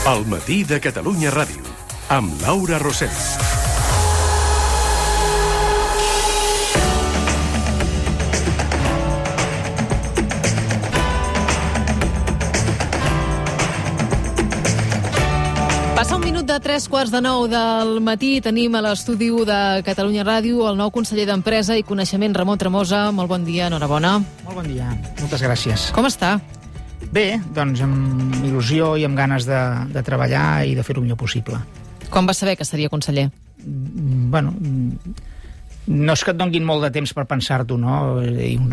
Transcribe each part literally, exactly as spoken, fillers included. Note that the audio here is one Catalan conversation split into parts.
El matí de Catalunya Ràdio, amb Laura Rosell. Passa un minut de tres quarts de nou del matí. Tenim a l'estudi de Catalunya Ràdio el nou conseller d'Empresa i Coneixement, Ramon Tremosa. Molt bon dia, enhorabona. Molt bon dia, moltes gràcies. Com està? Bé, doncs amb il·lusió i amb ganes de, de treballar i de fer-ho millor possible. Quan va saber que seria conseller? Bueno, no és que et donguin molt de temps per pensar-t'ho, no? Un,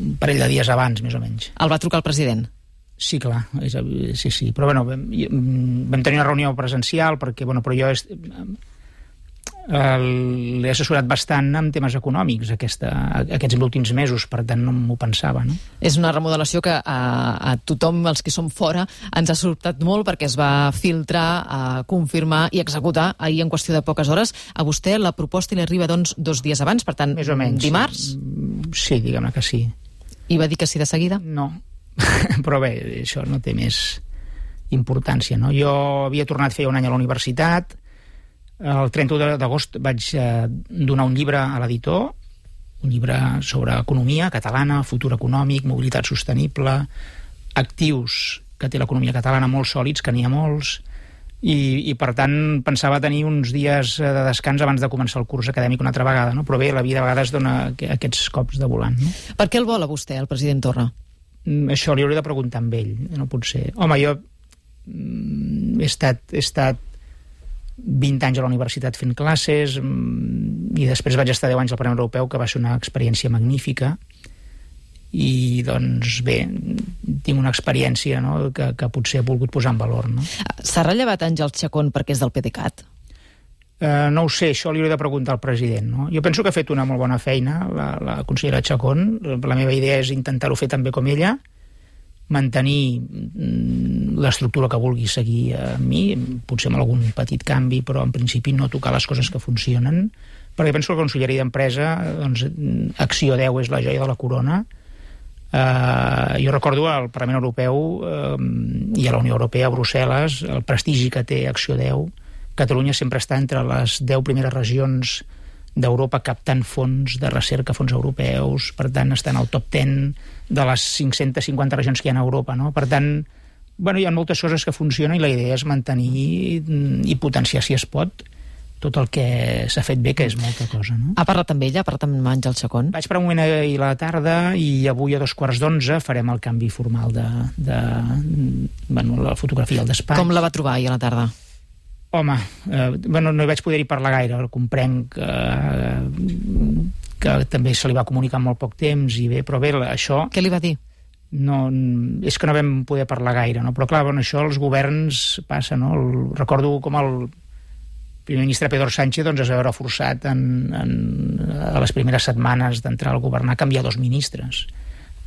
un parell de dies abans, més o menys. El va trucar el president? Sí, clar, és, sí, sí. Però, bueno, vam, vam tenir una reunió presencial, perquè, bueno, però jo és, l'he assessorat bastant en temes econòmics aquesta, aquests últims mesos, per tant no m'ho pensava, no? És una remodelació que a, a tothom, els que som fora, ens ha sobtat molt perquè es va filtrar, a confirmar i executar ahir en qüestió de poques hores. A vostè la proposta li arriba, doncs, dos dies abans, per tant, més o menys, dimarts? Sí, diguem-ne que sí. I va dir que sí de seguida? No. Però bé, això no té més importància, no? Jo havia tornat feia un any a la universitat, el trenta-u d'agost vaig eh, donar un llibre a l'editor, un llibre sobre economia catalana, futur econòmic, mobilitat sostenible, actius que té l'economia catalana molt sòlids, que n'hi ha molts, i, i per tant pensava tenir uns dies de descans abans de començar el curs acadèmic una altra vegada, no? Però bé, la vida a vegades dona aquests cops de volant, no? Per què el vol a vostè, el president Torra? Això li hauré de preguntar amb ell, no pot ser. Home, jo he estat, he estat vint anys a la universitat fent classes i després vaig estar deu anys al Parlament Europeu, que va ser una experiència magnífica, i doncs bé, tinc una experiència, no?, que, que potser he volgut posar en valor, no? S'ha rellevat Àngel Chacón perquè és del PDeCAT? Uh, no ho sé, això li hauré de preguntar al president, no? Jo penso que ha fet una molt bona feina la, la consellera Chacón. La meva idea és intentar-ho fer tan bé com ella, mantenir l'estructura que vulgui seguir a mi, potser amb algun petit canvi, però en principi no tocar les coses que funcionen, perquè penso que la Conselleria d'Empresa, doncs, Acció deu és la joia de la corona. Uh, jo recordo al Parlament Europeu uh, i a la Unió Europea, a Brussel·les, el prestigi que té Acció deu. Catalunya sempre està entre les deu primeres regions d'Europa captant fons de recerca, fons europeus, per tant està en el top deu de les cinc-centes cinquanta regions que hi ha a Europa, no? Per tant, bueno, hi ha moltes coses que funcionen i la idea és mantenir i potenciar, si es pot, tot el que s'ha fet bé, que és molta cosa, no? Ha parlat amb ella? Ha parlat amb Àngel Chacón? Vaig per un moment ahir a la tarda i avui a dos quarts d'onze farem el canvi formal de, de bueno, la fotografia al despatx. Com la va trobar ahir a la tarda? Home, eh, bueno, no hi vaig poder-hi parlar gaire, comprenc que, que també se li va comunicar en molt poc temps, i bé, però bé, això... Què li va dir? No, és que no vam poder parlar gaire, no? Però clar, bueno, això els governs passa, no? El, recordo com el primer ministre Pedro Sánchez doncs, es va veure forçat en, en, a les primeres setmanes d'entrar al governar a canviar dos ministres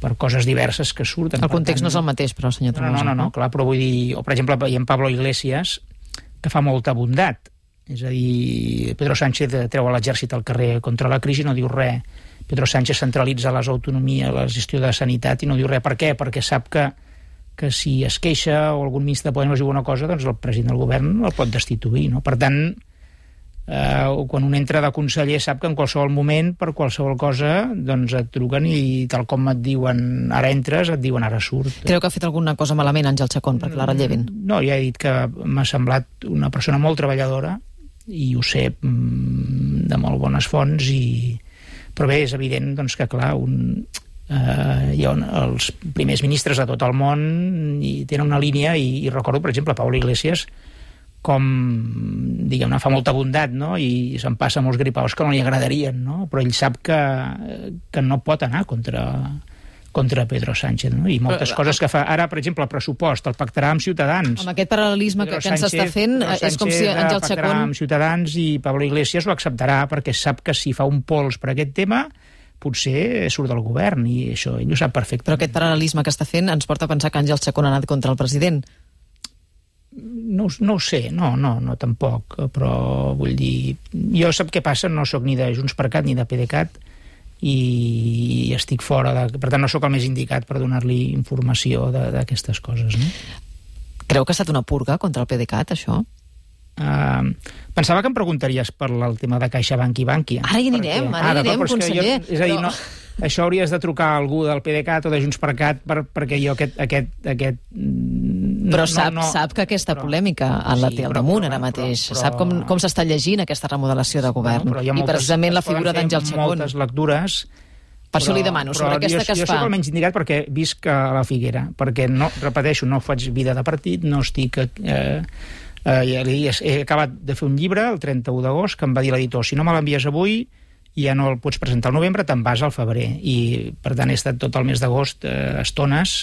per coses diverses que surten. El context tant, no és el mateix, però, senyor Tremosa. No, no, no, no, clar, però vull dir... O, per exemple, veiem Pablo Iglesias, que fa molta bondat. És a dir, Pedro Sánchez treu l'exèrcit al carrer contra la crisi i no diu res. Pedro Sánchez centralitza les autonomies, la gestió de sanitat, i no diu res. Per què? Perquè sap que, que si es queixa o algun ministre de Podem diu una cosa, doncs el president del govern el pot destituir, no? Per tant, eh, quan un entra de conseller sap que en qualsevol moment, per qualsevol cosa, doncs et truquen i tal com et diuen ara entres, et diuen ara surt. Creu que ha fet alguna cosa malament Àngel Chacón perquè la rellevin? No, ja he dit que m'ha semblat una persona molt treballadora i ho sé de molt bones fonts, i... però bé, és evident doncs, que clar, un... Uh, hi ha els primers ministres de tot el món i tenen una línia, i, i recordo, per exemple, Pablo Iglesias, com, diguem-ne, fa molta bondat, no? I se'n passa molts gripaus que no li agradarien, no? Però ell sap que, que no pot anar contra, contra Pedro Sánchez, no? I moltes però, coses que fa. Ara, per exemple, el pressupost el pactarà amb Ciutadans. Amb aquest paral·lelisme que, que ens està fent, Pedro és com si Àngel Chacón... pactarà amb Ciutadans i Pablo Iglesias ho acceptarà perquè sap que si fa un pols per aquest tema potser surt del govern, i això ell ho sap perfectament. Però aquest paral·lelisme que està fent ens porta a pensar que Àngel Chacón ha anat contra el president. No, no ho sé, no, no, no tampoc, però vull dir, jo sap què passa, no sóc ni de JxCat ni de PDeCAT i estic fora de... Per tant, no sóc el més indicat per donar-li informació d'aquestes coses, no? Creu que ha estat una purga contra el PDeCAT, això? Uh, pensava que em preguntaries per el tema de CaixaBank i Bankia. Ara hi anirem, perquè, ara hi anirem, conseller. Jo, és a dir, però... no, això hauries de trucar a algú del PDeCAT o de JxCat per, perquè jo aquest... aquest, aquest però no, sap, no, sap que aquesta però, polèmica en la té al damunt ara mateix. Però, però, sap com, com s'està llegint aquesta remodelació de govern. No, moltes, I precisament la figura d'Àngel Chacón. Moltes lectures... Per això li demano, sobre aquesta jo, que es jo fa. Jo soc el menys indicat perquè visc a la Figuera, perquè, no, repeteixo, no faig vida de partit, no estic... Eh, eh, he acabat de fer un llibre el trenta-u d'agost que em va dir l'editor, si no me l'envies avui ja no el pots presentar al novembre, te'n vas al febrer. I, per tant, he estat tot el mes d'agost eh, estones,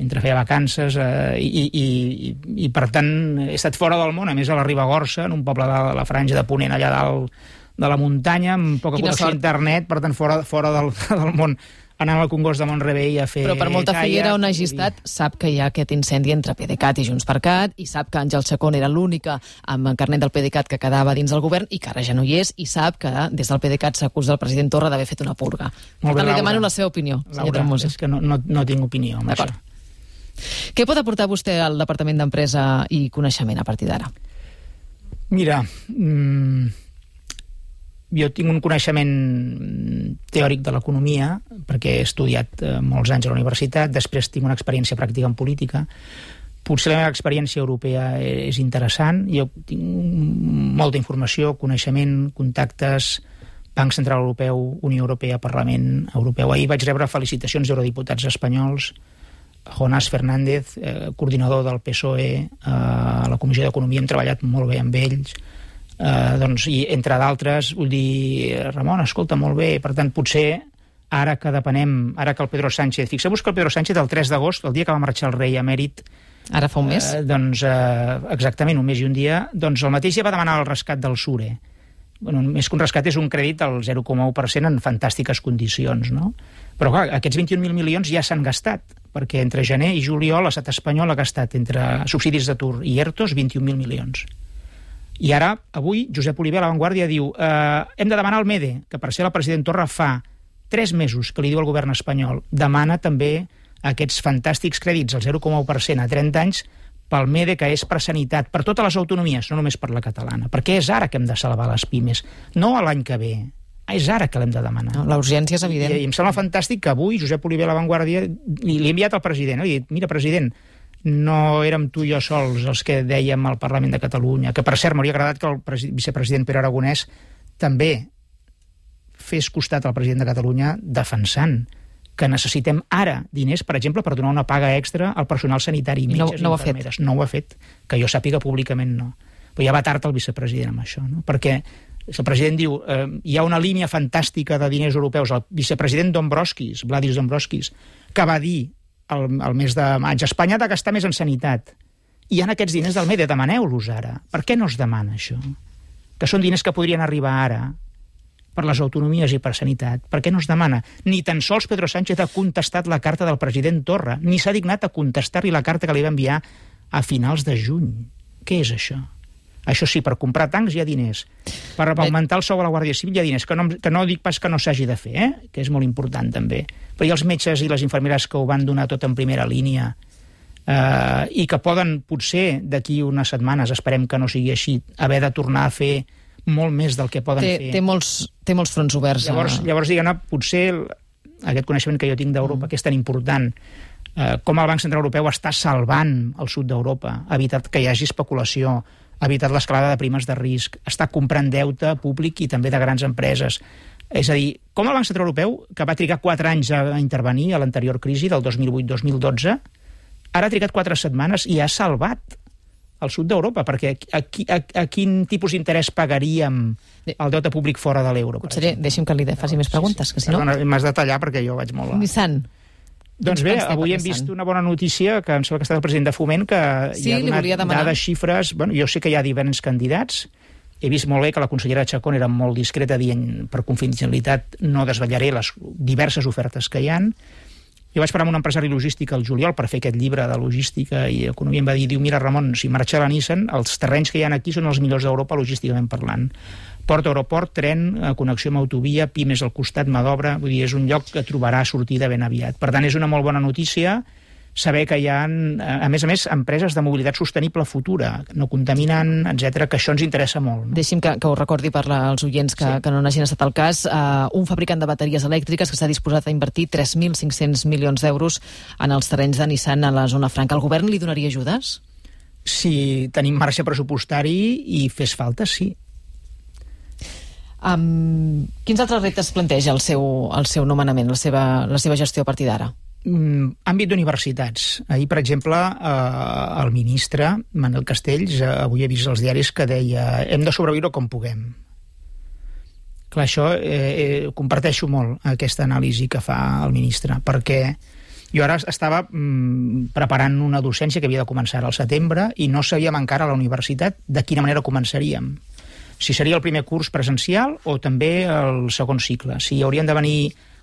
mentre feia vacances, eh, i, i, i, i, per tant, he estat fora del món, a més a la Ribagorça, en un poble de la Franja de Ponent, allà dalt de la muntanya, amb poca connexió a internet, per tant, fora, fora del, del món, anant al Congost de Mont-rebei a fer... Però per molta caia, Figuera on hagi estat, sap que hi ha aquest incendi entre PDeCAT i JxCat, i sap que Àngel Chacón era l'única amb el carnet del PDeCAt que quedava dins del govern i que ara ja no hi és, i sap que des del PDeCAt s'acusa el president Torra d'haver fet una purga. Per tant, li demano la seva opinió, senyor Tremosa. És que no, no, no tinc opinió amb això. Què pot aportar vostè al Departament d'Empresa i Coneixement a partir d'ara? Mira... Mmm... Jo tinc un coneixement teòric de l'economia, perquè he estudiat eh, molts anys a la universitat, després tinc una experiència pràctica en política. Potser la meva experiència europea és interessant, jo tinc molta informació, coneixement, contactes, Banc Central Europeu, Unió Europea, Parlament Europeu. Ahir vaig rebre felicitacions d'eurodiputats espanyols, Jonás Fernández, eh, coordinador del P S O E, eh, a la Comissió d'Economia, hem treballat molt bé amb ells. Uh, doncs, i entre d'altres, vull dir, Ramon, escolta, molt bé, per tant, potser ara que depenem, ara que el Pedro Sánchez, fixeu-vos que el Pedro Sánchez el tres d'agost, el dia que va marxar el rei emèrit, ara fa un mes? Uh, doncs, uh, exactament, un mes i un dia, doncs el mateix ja va demanar el rescat del Sure. Bueno, més que un rescat és un crèdit al zero coma u per cent en fantàstiques condicions, no? Però clar, aquests vint-i-un mil milions ja s'han gastat, perquè entre gener i juliol l'estat espanyol ha gastat entre subsidis d'atur i ERTOs vint-i-un mil milions. I ara, avui, Josep Oliver a La Vanguardia diu eh, hem de demanar al MEDE, que per ser el president Torra fa tres mesos que li diu al govern espanyol, demana també aquests fantàstics crèdits al zero coma u per cent a trenta anys pel MEDE, que és per sanitat, per totes les autonomies, no només per la catalana, perquè és ara que hem de salvar les pimes, no a l'any que ve, és ara que l'hem de demanar. No, la urgència és evident. I, I em sembla fantàstic que avui Josep Oliver a La Vanguardia li, li ha enviat al president, no? I dit, mira, president, no érem tu i jo sols els que dèiem al Parlament de Catalunya, que per cert m'hauria agradat que el vicepresident Pere Aragonès també fes costat al president de Catalunya defensant que necessitem ara diners, per exemple, per donar una paga extra al personal sanitari, metges no, no i infermeres. No ho ha fet, que jo sàpiga públicament no. Però ja va tard el vicepresident amb això, no? Perquè el president diu eh, hi ha una línia fantàstica de diners europeus, el vicepresident Dombrovskis, Vladis Dombrovskis, que va dir El, el mes de maig, Espanya ha de gastar més en sanitat. I hi ha aquests diners del MEDE, demaneu-los ara. Per què no es demana això? Que són diners que podrien arribar ara per les autonomies i per sanitat. Per què no es demana? Ni tan sols Pedro Sánchez ha contestat la carta del president Torra, ni s'ha dignat a contestar-li la carta que li va enviar a finals de juny. Què és això? Això sí, per comprar tancs hi ha diners. Per augmentar el sou a la Guàrdia Civil hi ha diners. Que no, que no dic pas que no s'hagi de fer, eh? Que és molt important també. Però hi ha els metges i les infermeres que ho van donar tot en primera línia eh, i que poden, potser, d'aquí unes setmanes, esperem que no sigui així, haver de tornar a fer molt més del que poden té, fer. Té molts, té molts fronts oberts. Llavors, llavors diguem-ne, potser aquest coneixement que jo tinc d'Europa, mm. que és tan important, eh, com el Banc Central Europeu està salvant el sud d'Europa, ha evitat que hi hagi especulació, ha evitat l'escalada de primes de risc, està comprant deute públic i també de grans empreses. És a dir, com el Banc Central Europeu, que va trigar quatre anys a intervenir a l'anterior crisi del dos mil vuit dos mil dotze, ara ha trigat quatre setmanes i ha salvat el sud d'Europa, perquè a, a, a quin tipus d'interès pagaríem el deute públic fora de l'euro? Conseller, deixi'm que li faci més preguntes, que si no... Perdona, m'has de tallar perquè jo vaig molt... Nissan. Doncs bé, avui hem vist una bona notícia, que em sembla que ha estat el president de Foment, que sí, hi ha donat dades, xifres... Bueno, jo sé que hi ha diferents candidats. He vist molt bé que la consellera Chacón era molt discreta dient, per confidencialitat, no desvetllaré les diverses ofertes que hi han. Jo vaig parlar amb un empresari logístic al juliol per fer aquest llibre de logística i economia. Em va dir, diu, mira, Ramon, si marxa la Nissan, els terrenys que hi ha aquí són els millors d'Europa logísticament parlant. Port, aeroport, tren, connexió amb autovia, pimes al costat, mà d'obra, vull dir, és un lloc que trobarà sortida ben aviat. Per tant, és una molt bona notícia saber que hi ha, a més a més, empreses de mobilitat sostenible futura, no contaminen, etcètera, que això ens interessa molt. No? Deixi'm que, que ho recordi per als oients que, sí. que no n'hagin estat el cas. Uh, un fabricant de bateries elèctriques que s'ha disposat a invertir tres mil cinc-cents milions d'euros en els terrenys de Nissan a la zona franca. El govern li donaria ajudes? Si tenim marge pressupostari i fes falta, sí. Um, quins altres reptes planteja el seu, el seu nomenament, la seva, la seva gestió a partir d'ara? Mm, àmbit d'universitats. Ahir, per exemple, eh, el ministre, Manel Castells, eh, avui he vist als diaris que deia hem de sobreviure com puguem. Clar, això eh, eh, comparteixo molt, aquesta anàlisi que fa el ministre, perquè jo ara estava mm, preparant una docència que havia de començar al setembre i no sabíem encara a la universitat de quina manera començaríem. Si seria el primer curs presencial o també el segon cicle. Si haurien de venir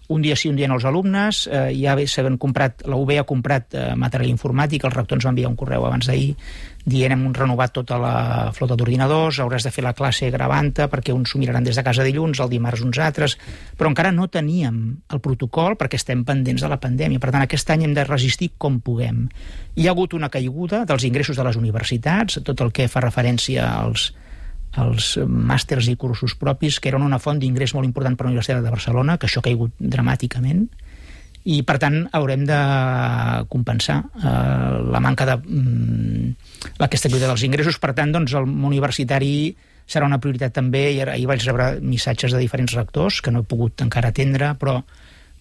un dia sí, un dia no els alumnes, eh, ja s'han comprat, la U B ha comprat eh, material informàtic, el rector ens va enviar un correu abans d'ahir dient hem renovat tota la flota d'ordinadors, hauràs de fer la classe gravant-te perquè uns s'ho miraran des de casa dilluns, el dimarts uns altres, però encara no teníem el protocol perquè estem pendents de la pandèmia. Per tant, aquest any hem de resistir com puguem. Hi ha hagut una caiguda dels ingressos de les universitats, tot el que fa referència als els màsters i cursos propis, que eren una font d'ingrés molt important per a la Universitat de Barcelona, que això ha caigut dramàticament, i per tant haurem de compensar eh, la manca de mm, aquesta caiguda dels ingressos. Per tant, doncs, el món universitari serà una prioritat també, i ahir vaig rebre missatges de diferents rectors que no he pogut encara atendre, però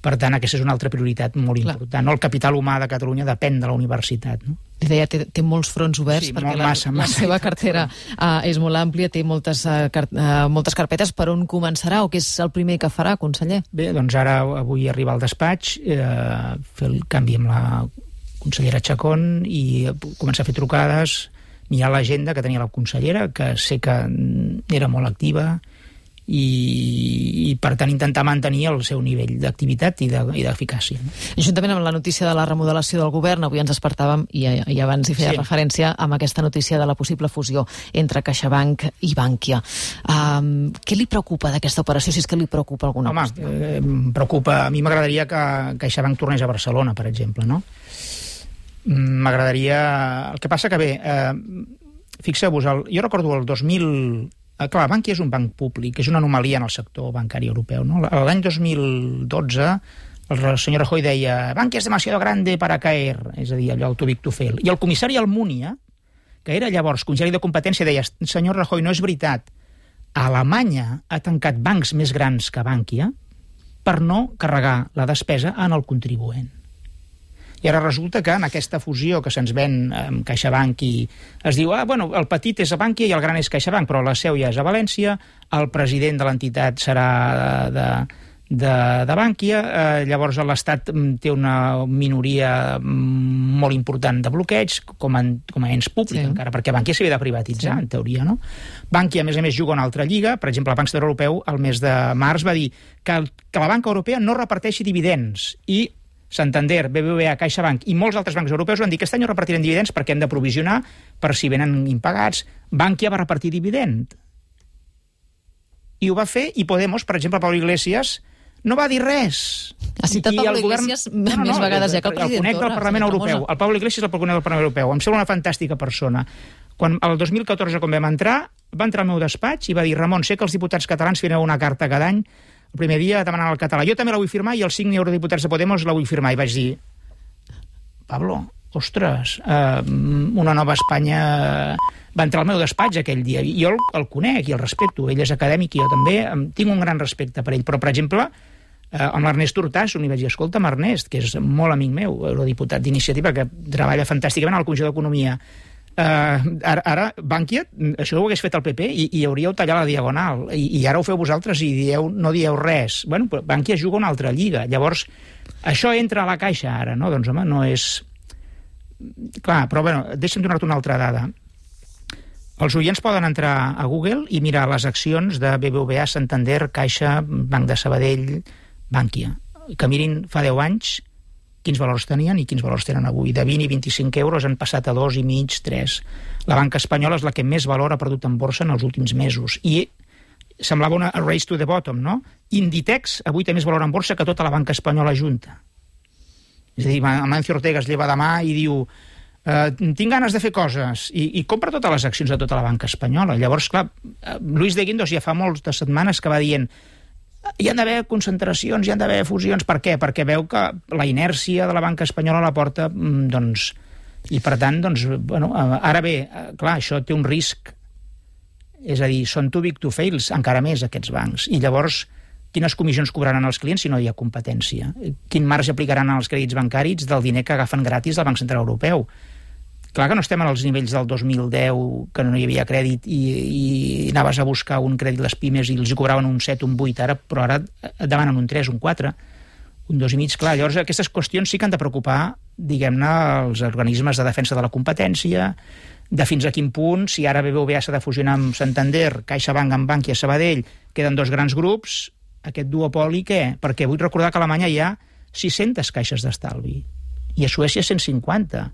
per tant aquesta és una altra prioritat molt important. No? El capital humà de Catalunya depèn de la universitat, no? Li deia, té, té molts fronts oberts, sí, perquè massa, la, massa, la seva cartera uh, és molt àmplia, té moltes, uh, car uh, moltes carpetes. Per on començarà o què és el primer que farà, conseller? Bé, doncs ara avui arribar al despatx, eh, fer el canvi amb la consellera Chacón i començar a fer trucades, mirar l'agenda que tenia la consellera, que sé que era molt activa, i, i per tant intentar mantenir el seu nivell d'activitat i d'eficàcia. No? Juntament amb la notícia de la remodelació del govern, avui ens despertàvem i, i abans hi feia sí. referència amb aquesta notícia de la possible fusió entre CaixaBank i Bankia. Um, què li preocupa d'aquesta operació, si és que li preocupa alguna Home, qüestió? Eh, em preocupa, a mi m'agradaria que CaixaBank tornés a Barcelona, per exemple, no? M'agradaria... El que passa que bé, eh, fixeu-vos, el... jo recordo el dos mil... Clar, Bankia és un banc públic, és una anomalia en el sector bancari europeu. No? L'any dos mil dotze el senyor Rajoy deia Bankia és demasiado grande para caer, és a dir, allò el too big to fail. I el comissari Almunia, que era llavors consellera de competència, deia senyor Rajoy, no és veritat, Alemanya ha tancat bancs més grans que Bankia per no carregar la despesa en el contribuent. I ara resulta que en aquesta fusió que se'ns ven amb CaixaBank i es diu, ah, bueno, el petit és a Bankia i el gran és CaixaBank, però la seu ja és a València, el president de l'entitat serà de, de, de Bankia, eh, llavors l'Estat té una minoria molt important de bloqueig, com a, com a ens públic, sí. encara, perquè Bankia s'havia de privatitzar, sí. en teoria, no? Bankia, a més a més, juga una altra lliga, per exemple, el Banc Central Europeu, el mes de març, va dir que, que la banca europea no reparteixi dividends, i Santander, B B V A, CaixaBank i molts altres bancs europeus van dir que aquest any no repartirem dividends perquè hem de provisionar per si venen impagats. Bankia va repartir dividend. I ho va fer, i Podemos, per exemple, Pablo Iglesias, no va dir res. Ha citat I Pablo govern... Iglesias no, no, més no, vegades ja que el president Torra. El conec del Parlament Europeu. El Pablo Iglesias el conec del Parlament Europeu. Em sembla una fantàstica persona. Quan el dos mil catorze, quan vam entrar, va entrar al meu despatx i va dir Ramon, sé que els diputats catalans firmeu una carta cada any el primer dia demanant el català. Jo també la vull firmar i els cinc eurodiputats de Podemos la vull firmar. I vaig dir, Pablo, ostres, eh, una nova Espanya va entrar al meu despatx aquell dia. I jo el, el conec i el respecto. Ell és acadèmic i jo també tinc un gran respecte per ell. Però, per exemple, eh, amb l'Ernest Urtasun li vaig dir, escolta'm, Ernest, que és molt amic meu, eurodiputat d'Iniciativa, que treballa fantàsticament a la Comissió d'Economia, Uh, ara, ara Bankia, això ho hagués fet el P P i, i hauríeu tallat la diagonal i, i ara ho feu vosaltres i dieu, no dieu res. Bueno, però Bankia juga una altra lliga, llavors això entra a la caixa ara, no? Doncs home, no és... Clar, però bueno, deixa'm donar-te una altra dada. Els oients poden entrar a Google i mirar les accions de B B V A, Santander, Caixa, Banc de Sabadell, Bankia, que mirin fa deu anys quins valors tenien i quins valors tenen avui. De vint i vint-i-cinc euros han passat a dos i mig, tres. La banca espanyola és la que més valor ha perdut en borsa en els últims mesos. I semblava una race to the bottom, no? Inditex avui té més valor en borsa que tota la banca espanyola junta. És a dir, Amancio Ortega es lleva demà i diu eh, tinc ganes de fer coses, i, i compra totes les accions de tota la banca espanyola. Llavors, clar, Luis de Guindos ja fa moltes setmanes que va dient hi han d'haver concentracions, hi han d'haver fusions. Per què? Perquè veu que la inèrcia de la banca espanyola la porta, doncs, i per tant, doncs, bueno, ara bé, clar, això té un risc, és a dir, són too big to fail, encara més aquests bancs, i llavors quines comissions cobraran els clients si no hi ha competència? Quin marge aplicaran als crèdits bancaris del diner que agafen gratis del Banc Central Europeu? Clar que no estem als nivells del dos mil deu, que no hi havia crèdit i, i anaves a buscar un crèdit les pimes i els hi cobraven un set, un vuit, ara, però ara et demanen un tres, un quatre, un dos i mig. Clar, llavors aquestes qüestions sí que han de preocupar, diguem-ne, els organismes de defensa de la competència, de fins a quin punt, si ara B B V A s'ha de fusionar amb Santander, CaixaBank amb Bankia, Sabadell, queden dos grans grups, aquest duopoli què? Perquè vull recordar que a Alemanya hi ha sis-centes caixes d'estalvi i a Suècia cent cinquanta.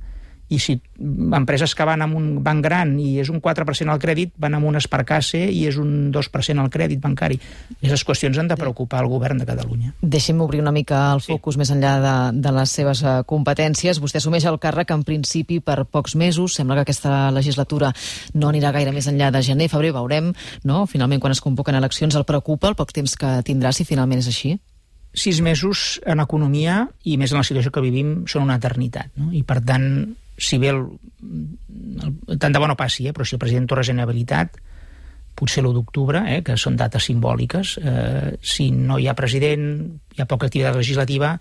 I si empreses que van amb un banc gran i és un quatre per cent al crèdit, van amb un Sparkasse i és un dos per cent al crèdit bancari. Aquestes qüestions han de preocupar el govern de Catalunya. Deixi'm obrir una mica el focus sí. més enllà de, de les seves competències. Vostè assumeix el càrrec en principi per pocs mesos. Sembla que aquesta legislatura no anirà gaire més enllà de gener, febrer, veurem, no? Finalment, quan es convoquen eleccions, el preocupa el poc temps que tindrà, si finalment és així? Sis mesos en economia, i més en la situació que vivim, són una eternitat, no? I per tant, si bé el, el, tant de bo no passi, eh, però si el president Torra és inhabilitat, potser l'u d'octubre, eh, que són dates simbòliques, eh, si no hi ha president, hi ha poca activitat legislativa,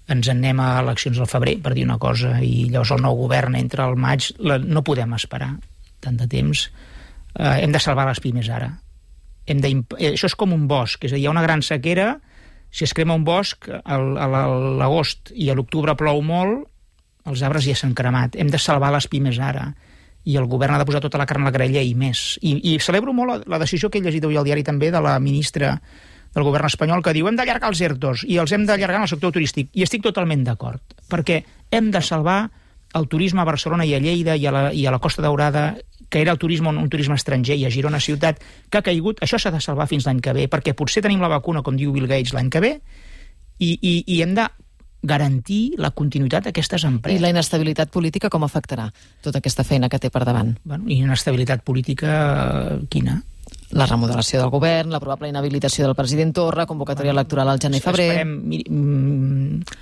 ens en anem a eleccions al febrer, per dir una cosa, i llavors el nou govern entra al maig, la, no podem esperar tant de temps, eh, hem de salvar les pimes ara. Hem de, això és com un bosc, és a dir, hi ha una gran sequera, si es crema un bosc a l'agost i a l'octubre plou molt, els arbres ja s'han cremat. Hem de salvar les pimes ara. I el govern ha de posar tota la carn a la graella i més. I, i celebro molt la, la decisió que he llegit avui al diari també de la ministra del govern espanyol que diu hem d'allargar els ERTOs i els hem d'allargar en el sector turístic. I estic totalment d'acord. Perquè hem de salvar el turisme a Barcelona i a Lleida i a la, i a la Costa Daurada, que era el turisme, un turisme estranger, i a Girona ciutat, que ha caigut. Això s'ha de salvar fins l'any que ve, perquè potser tenim la vacuna, com diu Bill Gates, l'any que ve, i, i, i hem de garantir la continuïtat d'aquestes empreses. I la inestabilitat política com afectarà tota aquesta feina que té per davant? Bueno, i inestabilitat política quina? La remodelació del govern, la probable inhabilitació del president Torra, convocatòria bueno, electoral al gener-febrer... Esperem, mira,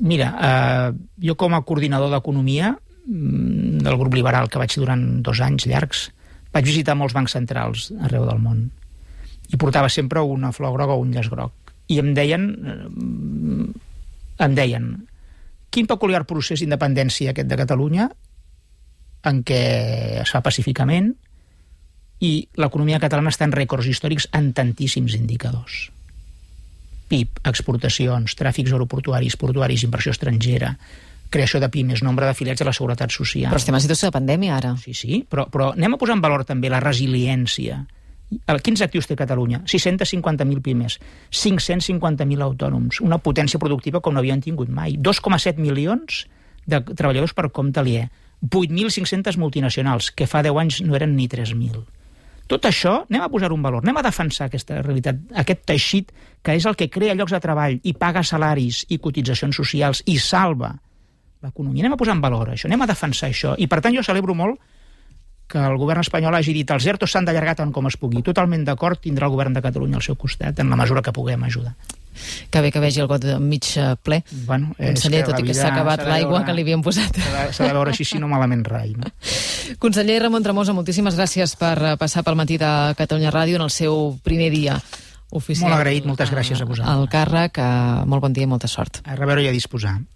mira eh, jo com a coordinador d'economia del grup liberal que vaig durant dos anys llargs, vaig visitar molts bancs centrals arreu del món i portava sempre una flor groga o un llaç groc. I em deien... em deien, quin peculiar procés d'independència aquest de Catalunya, en què es fa pacíficament, i l'economia catalana està en rècords històrics en tantíssims indicadors. P I B, exportacions, tràfics aeroportuaris, portuaris, inversió estrangera, creació de pimes, nombre d'afiliats a la Seguretat Social... Però estem en situació de pandèmia, ara. Sí, sí, però, però anem a posar en valor també la resiliència. Quins actius té Catalunya? sis-cents cinquanta mil pimes, cinc-cents cinquanta mil autònoms, una potència productiva com no havien tingut mai, dos coma set milions de treballadors per compte aliè, vuit mil cinc-centes multinacionals, que fa deu anys no eren ni tres mil. Tot això, anem a posar un valor, anem a defensar aquesta realitat, aquest teixit que és el que crea llocs de treball i paga salaris i cotitzacions socials i salva l'economia. Anem a posar en valor això, anem a defensar això. I per tant jo celebro molt que el govern espanyol hagi dit els ERTOs s'han d'allargar tant com es pugui. Totalment d'acord, tindrà el govern de Catalunya al seu costat, en la mesura que puguem ajudar. Que bé que vegi el got mig ple. Bueno, conseller, tot i que s'ha acabat l'aigua que li havíem posat. S'ha de veure així, si no malament rai. No? Conseller Ramon Tremosa, moltíssimes gràcies per passar pel matí de Catalunya Ràdio en el seu primer dia oficial. Molt agraït, moltes gràcies a vosaltres. Al càrrec, molt bon dia i molta sort. A reveure i a disposar.